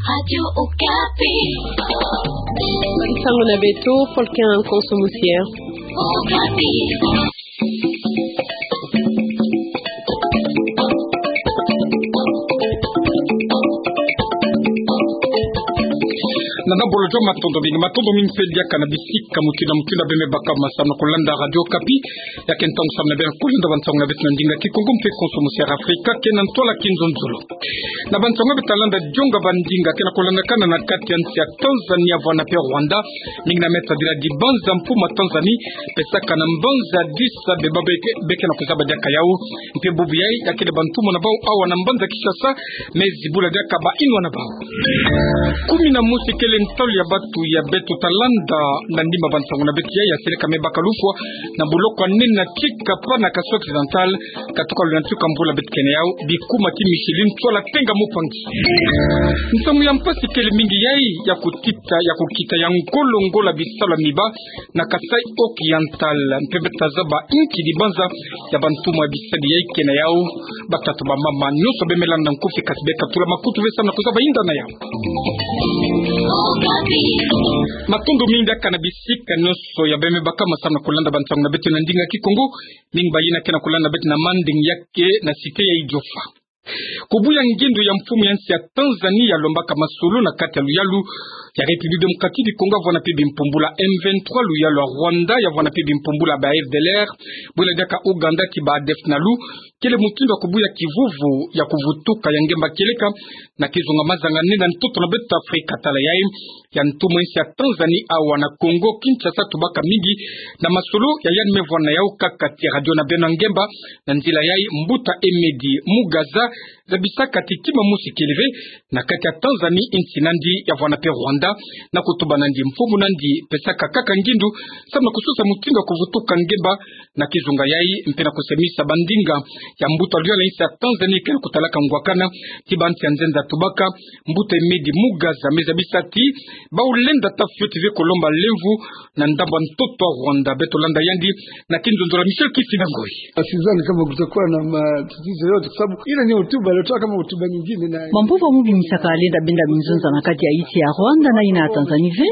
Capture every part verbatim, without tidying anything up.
Radio Okapi. Nsangu na beto, Paul Ken Konso Musier. Okapi. Na nabolo jwa matondo mingi, matondo mingi mpe diaka na bisika mutindu na mutindu ya bemei bakama samu na kulanda Radio Okapi. Ya ke ntangu samu na beno kulenda bansangu na beto na ndinga Kikongo mpe Konso Musier Afrika, ke na ntwala Kinzonzolo. Na bansangu beto talenda jonga bandinga ke na kulandakana na kati ya nsi ya Tanzania, Rwanda mpe Rwanda. Mingi na meta dila dibanza mfumu ya Tanzanie, pesaka na mbanza Addis Abeba, be ke, be ke na kuzaba diaka yau. Mpe bubu yai, ya kele bantu mona bau awa na mbanza Kinshasa, me zibula diaka ba inwa na bau. Kumi na mosi kele ntalu ya batu ya beto talenda na nima bansangu na beto yai, ya seleka me baka lufwa na boloko ya nene na tikapa na Kasai Occidental, katuka luna ntuka mvula beto kene yau, bikuma ti Micheline Tsoala Tenga Mupangi. Nsangu ya mpasi kele mingi yai, ya kutita, ya kukita ya ngolo-ngolo ya bisalu ya miba na Kasai Oriental, mpe beto tazaba inki dibanza ya bantu mona bisalu yai kena yau. Batata, bamama, nyonso bemei landa nkufi, kasi beka tula makutu ve samu na kuzaba inda na yau. Matondo mingi diaka na bisika nyonso ya bemei bakama samu na kulanda bansangu na beto na ndinga Kikongo. Mingi bayina ke na kulanda beto na Manding, ya ke na cité ya Idiofa. Kubuya ngindu ya mfumu ya nsi ya Tanzanie ya lombaka masolo na kati ya luyalu ya République Démocratique du Congo, ya vwanda mpe bimpumbulu ya M vingt-trois, luyalu ya Rwanda ya vwanda mpe bimpumbulu ya ba F D L R, bwela diaka Ouganda ti ba ADF nalu, kele mutindu ya kubuya kivuvu ya kuvutuka ya ngemba kieleka na kizunga mazanga nene na ntoto na beto Afrika. Tala yai, ya ntumu ya nsi ya Tanzanie awa na Congo Kinshasa tubaka mingi na masolo ya yandi me vwanda na yau kaka ti radio na beno ya ngemba. Na nzila yai, mbuta Emedi Mugaza zabisaka ti kima mosi kele ve na kati ya Tanzanie, insi nandi ya vwanda mpe Rwanda, na kutuba nandi, mfumu nandi pesaka kaka ngindu samu na kusosa mutindu ya kuvutuka ngemba na kizunga yai, mpe na kusemisa bandinga ya mbuta luyalu ya nsi ya Tanzanie ke na kutalaka ngwakana ti bansi ya nzenza tubaka. Mbuta Emedi Mugaza me zabisa ti bau lenda ta fioti ve kulomba lemvo na ndambu ya ntoto ya Rwanda. Beto landa yandi na kinzonzolo ya Michel Kifinda Ngoi. Sidhani kama kutakuwa na matatizo yote, kwa sababu ile ni hotuba alitoa kama hotuba nyingine na Bampova mu bimisaka lenda benda minzonza na kati ya insi ya Rwanda na yina ya Tanzanie ve.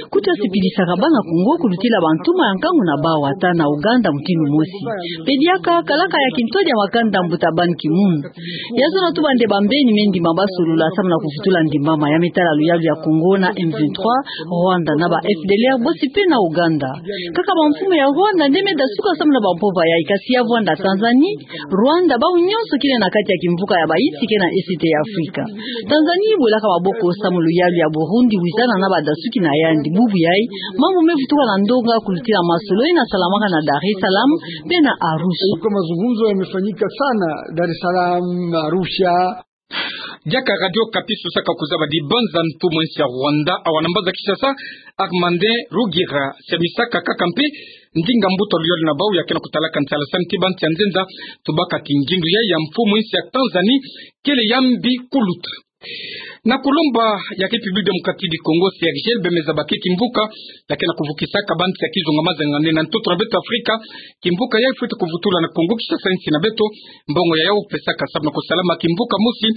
Kutu ya sipilisaka bana Kongo kulutila bantuma ya nkangu na bau ata na Ouganda mutindu mosi. Mpe diaka kalaka ya kintwadi ya makanda mbuta Ban Ki-moon. Ya zona tuba nde bambeni me ndimba basolola samu na kuvutula ndimbama ya me tala luyalu ya Congo na M vingt-trois, Rwanda na ba F D L R bosi mpe na Ouganda. Kaka bamfumu ya Rwanda nde me dasuka samu na bampova yai, kasi ya vwanda Tanzanie, Rwanda, bau nyonso kele na kati ya kimvuka ya bayisi ke na Est ya Afrika. Tanzanie bwelaka maboko samu luyalu ya Burundi wizana na badasuki na yandi. Bubu yai, mambu me vutuka na ndonga kulutila masolo yina salamaka na Dar es Salaam mpe na Arusha. Kwa mazungumzo yamefanyika sana Dar es Salaam, Arusha. Diaka Radio Okapi sosaka kuzaba dibanza ntumu ya nsi ya Rwanda awa na mbanza Kinshasa, Armandin Rugira, siamisaka kaka mpe ndinga mbuta luyalu na bau ya ke na kutalaka nsalasani ti bansi ya nzenza tubaka ti ngindu yai ya mfumu ya nsi ya Tanzanie kele ya mbi kuluta. Na kulomba ya République Démocratique du Congo, C R G L, bie me zaba ke kimvuka ya ke na kuvukisaka bansi ya kizunga mazanga nene na ntoto na beto Afrika. Kimvuka yai fwete kuvutula na Congo Kinshasa, insi na beto. Mbongo ya yau pesaka samu na kusalama kimvuka mosi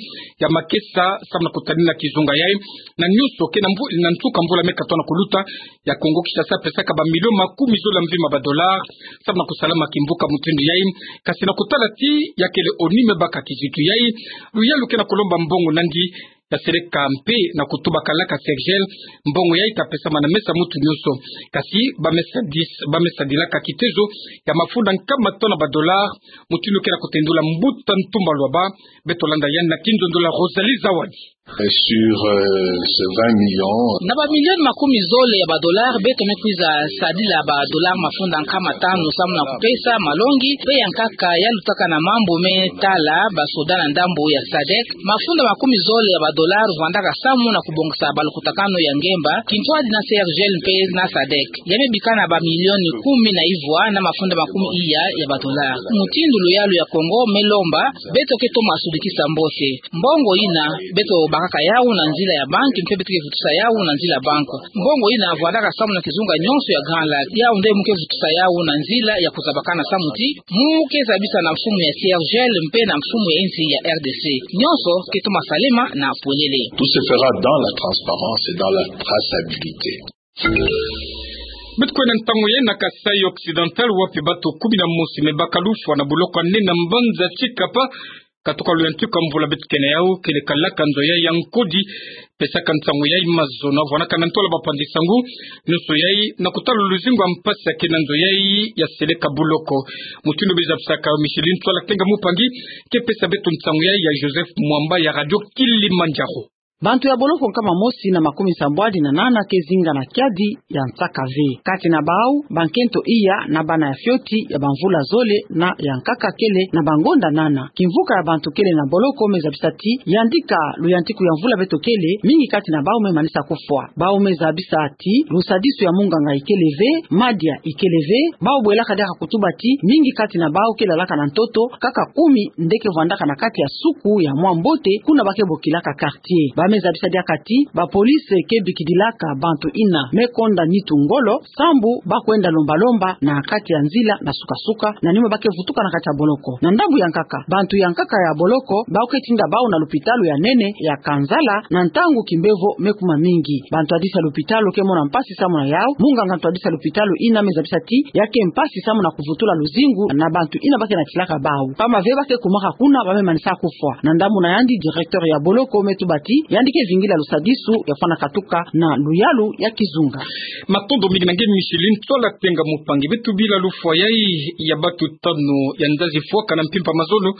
ya makesa samu na kutalila kizunga yai. Na nyonso ke na mvu-, na nsuka mvula me katona kuluta, ya Congo Kinshasa pesaka ba million makumi zole ya mvimba ba dollars samu na kusalama kimvuka mutindu yai. Kasi na kutala ti ya kele ONU me baka kizitu yai, luyalu ke na kulomba mbongo nandi ya seleka mpe na kutuba kalaka C R G L, mbongo yai ta pesama na mesa mutu nyonso. Kasi ba me sadis-, ba me sadilaka kitezo ya mafunda nkama tona ba dollars, mutindu ke na kutendula mbuta Ntumba Luaba. Beto landa yandi na kinzonzolo ya Rosalie Zawadi. Sur, euh, ces vingt millions. Na ba million makumi zole ya ba dollars, beto me kwiza sadila ba dollars mafunda nkama tanu samu na kupesa malongi mpe ya nkaka ya lutaka na mambu me tala ba soda na ndambu ya sadek. Mafunda makumi zole ya ba dollars vwandaka samu na kubongisa balukutakanu ya ngemba, kintwadi na C R G L mpe na sadek. Ya me bika na ba million kumi na ivwa na mafunda makumi iya ya ba dollars. Mutindu luyalu ya Congo me lomba, beto ke toma sudikisa mbote. Mbongo yina beto bakaka yawu na nzila ya banki, mpe beto ke vutusa yawu na nzila ya banki. Mbongo ina vwandaka samu na kizunga nyonso ya Grand Lac. Yawu nde mu ke vutusa yawu na nzila ya kuzabakana samu ti mu ke zabisa na mfumu ya C R G L mpe na mfumu ya insi ya R D C. Nyonso ke toma salema na pwelele. Tout se fera dans la transparence et dans la traçabilité. Beto kwenda ntangu yayi na Kasaï Occidental, wapi bato kumi na mosi me baka lufwa na boloko ya nene na mbanza Tshikapa, katoka luyantiku ya mvula beto ke na yawu, kele kalaka nzo yayi ya nkodi. Pesaka nsangu yayi mazono avwanaka na ntola bapanzi nsangu nyonso yayi na kutala luzingu ya mpasi ya ke na nzo yayi ya seleka boloko. Mutindu bizabisaka yo, Micheline Tswala Tenga Mupangi ke pesa beto nsangu yayi ya Joseph Mwamba ya Radio Kilimanjaro. Bantu ya boloko nkama mosi na makumi sambwadi na nana ke zinga na kiadi ya nsaka ve. Kati na bawu, bankento iya na bana ya fioti ya bamvula zole na ya nkaka kele na bangonda nana. Kimvuka ya bantu kele na boloko me zabisa ti yandi ka luyantiku ya mvula beto kele, mingi kati na bawu me manisa kufwa. Bawu me zabisa ti lusadisu ya munganga ikele ve, madia ikele ve. Bawu bwelaka diaka kutuba ti mingi kati na bawu ke lalaka na ntoto, kaka kumi nde ke vwandaka na kati ya suku ya mwa mbote kuna ba ke bokilaka quartier. Ba me zabisa diaka ti bapolisi ke bikidilaka bantu ina me konda nitu ngolo, sambu ba kwenda lomba-lomba na kati ya nzila na suka-suka, na nima ba ke vutuka na kati ya boloko. Na ndambu ya nkaka, bantu ya nkaka ya boloko, bawu ke tinda bawu na lupitalu ya nene ya Kanzala, na ntangu kimbevo me kuma mingi. Bantu ya disi ya lupitalu ke mona mpasi samu na yawu. Munganga ntu ya disi ya lupitalu ina me zabisa ti ya ke mpasi samu na kuvutula luzingu na bantu ina ba ke natilaka bawu. Pamba ve ba ke kumaka kuna, ba me manisa kufwa. Na ndambu na yandi, directeur ya boloko me tuba ti yandi ke vingila lusadisu ya fwana katuka na luyalu ya kizunga. Matondo mingi na nge Micheline Tswala Tenga Mupangi. Beto bila lufwa yayi ya bato tanu ya nzazi fwaka na mpimpa mazono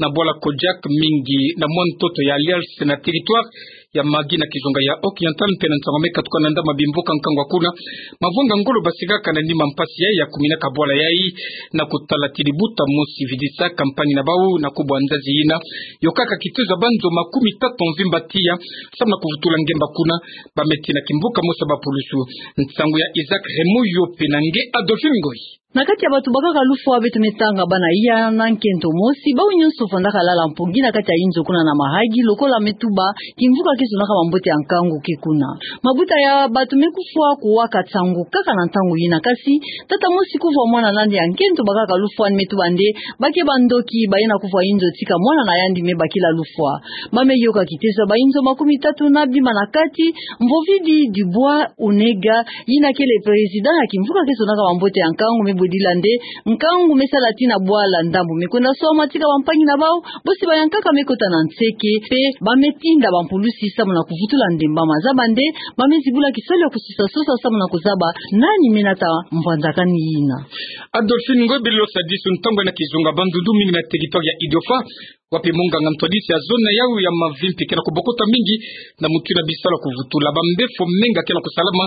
na bwala Kodiak, mingi na mwa ntoto ya Alliance na territoire ya Magui na kizunga ya Occidental, mpe na nsangu me katuka na ndambu ya bimvuka nkangu ya kuna. Mavanga ngolo basikaka na nima mpasi yayi ya kuminaka bwala yayi na kutala ti libuta mosi vidisa campagne na bawu na kubwa nzazi ina. Yokaka kitezo ya banzo makumi tatu mvimba tiya, samu na kuvutula ngemba kuna, ba me tina kimvuka mosi ya bapulusu. Nsangu ya Isaac Raymond Yope na nge Adolphine Ngoyi. Na kati ya bato bakaka lufwa beto me tanga bana iya na nkento mosi, bawu nyonso fwandaka lala mpongi na kati ya inzo kuna na Mahagi, lokola me tuba, kimvuka ke zonaka bambote ya nkangu ke kuna. Mabuta ya bato me kufwa kuwaka nsangu kaka na ntangu ina, kasi tata mosi kuvwa mwana na yandi ya nkento bakaka lufwa ni me tuba nde ba ke bandoki, ba yena kuvwa inzo tika mwana na yandi me bakila lufwa. Ba me yoka kitezo ya bainzo makumi tatu na bima na kati, Mvovidi Dubois Unega, yina kele président ya kimvuka ke zonaka bambote ya nkangu, me bwedila nde nkangu me sala tii na bwala, ndambu me kwenda swama tika bampangi na bawu, bosi bayankaka me kota na nseke, mpe ba me tinda bampulusi samu na kuvutula ndemba. Mazaba nde ba me zibula kisalu ya kusisa sosa samu na kuzaba nani me nata mvwanzakani yina. Adolphine Ngoyi, bilo sadisu ntangu ya na kizunga Bandundu, mingi na territoire ya Idiofa, wapi munganga ntu ya disi ya zone yawu ya Mavimpi ke na kubokota mingi na mutu na bisalu ya kuvutula. Bambefo menga ke na kusalama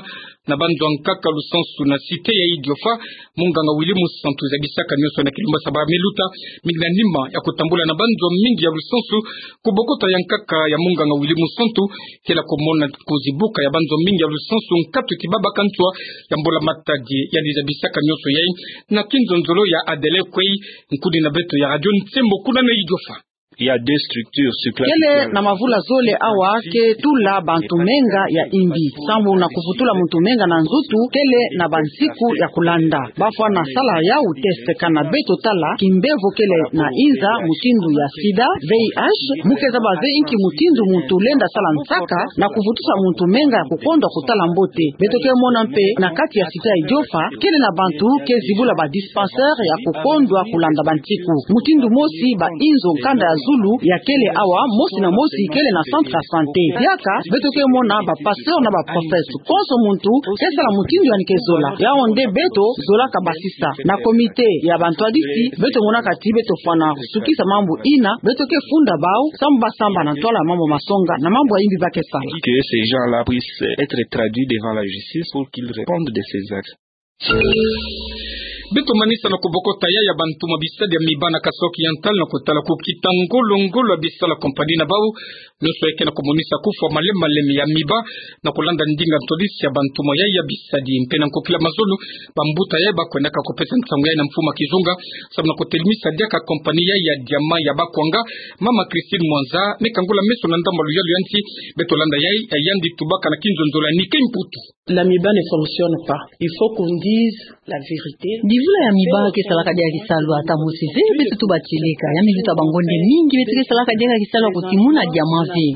na banzo ya nkaka lusansu na cité ya Idiofa. Munganga Willy Musantu zabisaka nyonso na kilumbasa ba me luta, mingi na nima ya kutambula na banzo mingi ya lusansu. Kubokota ya nkaka ya munganga Willy Musantu ke na kumona kuzibuka ya banzo mingi ya lusansu nkatu ti babaka nswa ya mbula matadi. Yandi zabisaka nyonso yayi na kinzonzolo ya Adele Kwei, nkuni na beto ya Radio Nsembo kuna na Idiofa. Il y a deux structures sur place. Kele na mavula zole awa ke tula bantu menga ya imbi. Sambu na kuvutula muntu menga na nzutu, kele na bansiku ya kulanda. Ba fwana sala yawu test kana beto tala kimbevo kele na inza, mutindu ya sida, V I H, mu ke zaba ve inki mutindu muntu lenda sala nsaka na kuvutusa muntu menga ya kukondwa kutala mbote. Beto ke mona mpe na kati ya cité ya Idiofa, kele na bantu ke zibula ba dispensaire ya kukondwa kulanda bansiku. Mutindu mosi, ba inzo kanda ya zulu ya kele awa, mosi na mosi kele na centre ya santé. Diaka, beto ke mona ba pasteur na ba prophète. Konso muntu ke sala mutindu yandi ke zola. Yawu nde beto zolaka basisa. Na comité ya bantu ya disi, beto monaka ti beto fwana sukisa mambu ina, beto ke funda bawu, sambu ba samba na ntwala ya mambu masonga na mambu ya imbi ba ke sala. Que ces gens-là puissent être traduits devant la justice pour qu'ils répondent de ces actes. Beto manisa na kobokota yaya bantuma bisadi ya miba na Kasaï Oriental na kotala kukita ngolo-ngolo ya bisala compagnie na bau. Nyoso eke na komonisa kufwa malembe-malembe ya miba na kolanda ndinga ntwadisi ya bantuma yaya bisadi. Mpe na nkokila mazono, bambuta yaya bakwendaka kopesa nsangu yai na mfumu a kizunga samu na kotelimisa diaka compagnie yai ya diamant ya bakwanga. Mama Christine Mwanza, neka ngola meso na ndambu a luyalu ya nsi. Beto landa yai, yandi tubaka na kinzonzolo ya Nickie Mputu. La miba ne fonctionne pas. Il faut qu'on dise la vérité. Divula ya miba ke salaka diaka kisalu ata mosi ve, beto tuba tileka. Ya miba ta bangonde mingi beto ke salaka diaka kisalu ya kotimuna diamant ve.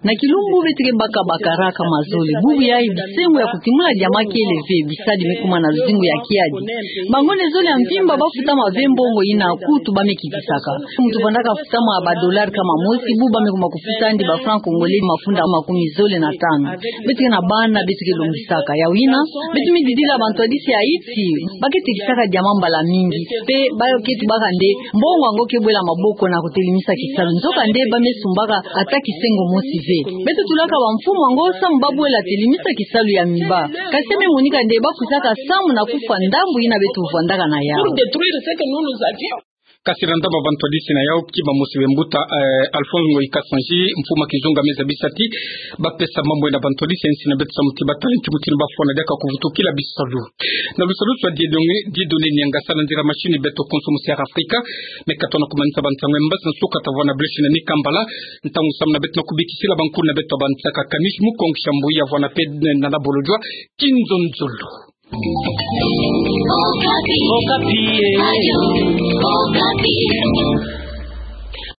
Na kilumbu beto ke baka bakaraka mazole. Bubu yai bisengo ya kotimuna diamant kiele ve, bisadi me kuma na luzingu ya kiadi. Bangonde zole ya mvimba bafutama ve mbongo ina kutu ba me kitisaka. Muntu vandaka futama ba dollar kama mosi, bubu ba me kuma kofutandi ba franc congolais mafunda makumi zole na tanu. Beto ke na bana, beto ke longisaka. Ya wina, beto mi didila bantwadisi ya iti. Ba ke tekisaka diamant mbala mingi. Mpe ba ke tubaka nde mbongo yango ke bwela maboko na kotelimisa kisalu. Nzokande ba me sumbaka ata kisengo mosi ve. Beto tulaka bamfumu yango samu ba bwela telimisa kisalu ya miba. Kasi me monika nde ba kwisaka samu na kufwa ndambu ina beto vandaka na yau. Pour détruire ce que nous, nous avions. Kasi na ndambu a bantwadisi na yau, ki ba mosi be mbuta, eh, Alphonse Ngoyi Kasanji, mfumu a kizunga, me zabisa ti ba pesa mambu na bantwadisi ya nsi na beto samu ti ba tala nki mutindu ba fwana diaka kuvutukila bisalu. Na lusalusu a Dieudonné, Dieudonné Niangasa, na nzila machine beto konso musi ya Afrika. Me katona kumanisa bansangu ya mbasi na suka ta vwana Brescia na Nikambala. Ntangu samu na beto na kubikisila bankulu na beto ba nsaka Kanish Mukong Shambuya vwana pe na na bolojwa. Kinzonzolo. Okapi. Okapi, eh. Radio Okapi.